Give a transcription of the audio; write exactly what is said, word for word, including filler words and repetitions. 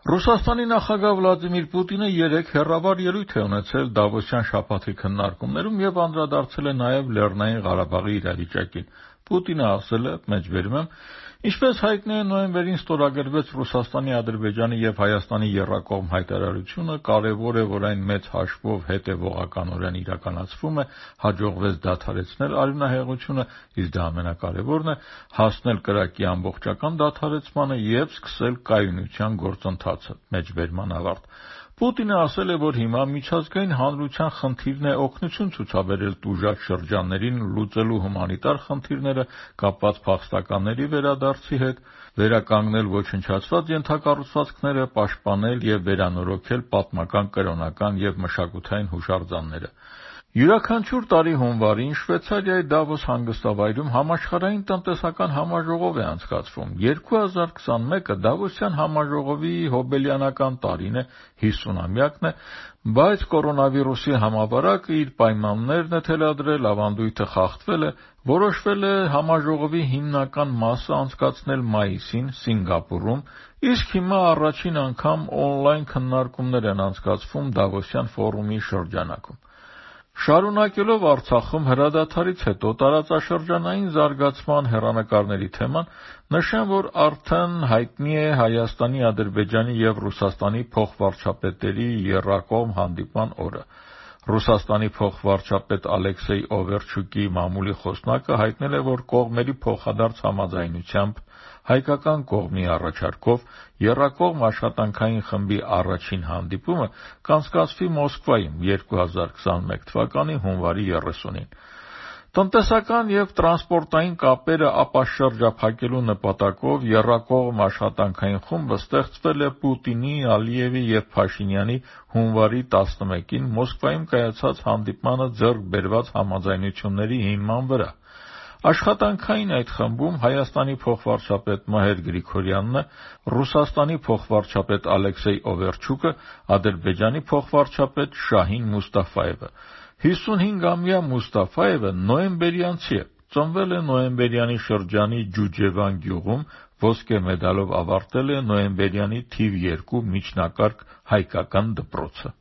Ռուսաստանի նախագահ Վլադիմիր Պուտինը երեկ հեռավար ելույթ է ունեցել Դավոսյան շաբաթի քննարկումներում եւ անդրադարձել է նաեւ Լեռնային Ղարաբաղի իրավիճակին։ Պուտինը ասել է, մեջբերում եմ, ինչպես հայտնի է, նոյեմբերին ստորագրվեց Ռուսաստանի, Ադրբեջանի եւ Հայաստանի եռակողմ հայտարարությունը, կարեւոր է, որ այն մեծ հաշվով հետեւողականորեն իրականացվում է, հաջողվեց դադարեցնել արյունահեղությունը, իսկ դա ամենակարևորն է, հասնել կրակի ամբողջական դադարեցմանը եւ սկսել կայունության գործընթացը։ Մեջբերման ավարտ։ Պուտինը ասել է, որ հիմա միջազգային հանրության խնդիրն է օգնություն ցուցաբերել տուժած շրջաններին լուծելու հումանիտար խնդիրները կապված փախստականների վերադարձի հետ, վերականգնել ոչնչացված ենթակառուցվածքները, պաշտպանել եւ վերանորոգել պատմական, կրոնական եւ մշակութային հուշարձանները։ Յուրաքանչյուր տարի հունվարին Շվեյցարիայի Դավոս հանգստավայրում համաշխարհային տնտեսական համաժողով է անցկացվում։ երկու հազար քսանմեկը Դավոսյան համաժողովի հոբելյանական տարին է, հիսունամյակն է, բայց կորոնավիրուսի համավարակը իր պայմաններն է թելադրել, ավանդույթը խախտվել է, որոշվել է համաժողովի հիմնական մասը անցկացնել մայիսին Սինգապուրում, իսկ հիմա առաջին անգամ օնլայն քննարկումներ են անցկացվում Դավոսյան ֆորումի շրջանակում։ Շարունակելով Արցախում հրադադարից հետո տարածաշրջանային զարգացման հեռանկարների թեման, նշեմ, որ արդեն հայտնի է Հայաստանի, Ադրբեջանի եւ Ռուսաստանի փոխվարչապետերի եռակողմ հանդիպման օրը։ Ռուսաստանի փոխվարչապետ Ալեքսեյ Օվերչուկի մամուլի խոսնակը հայտնել է, որ կողմերի փոխադարձ համաձայնությամբ հայկական կողմի առաջարկով եռակողմ աշխատանքային խմբի առաջին հանդիպումը կանցկացվի Մոսկվայում երկու հազար քսանմեկ թվականի հունվարի երեսունին։ Տնտեսական եւ տրանսպորտային կապերը ապաշրջափակելու նպատակով եռակողմ աշխատանքային խումբը ստեղծվել է Պուտինի, Ալիևի եւ Փաշինյանի հունվարի տասնմեկին Մոսկվայում կայացած հանդիպմանը ձեռք բերված համաձայնությունների հիման վրա։ Աշխատանքային այդ խմբում Հայաստանի փոխվարչապետ Մհեր Գրիգորյանն է, Ռուսաստանի փոխվարչապետ Ալեքսեյ Օվերչուկը, Ադրբեջանի փոխվարչապետ Շահին Մուստաֆայևը։ հիսունհինգամյա Մուստաֆայևը նոյեմբերյանցի է, ծնվել է նոյեմբերյանի շրջանի Ջուջևան գյուղում, ոսկե մեդալով ավարտել է նոյեմբերյանի թիվ երկու միջնակարգ հայկական դպրոցը։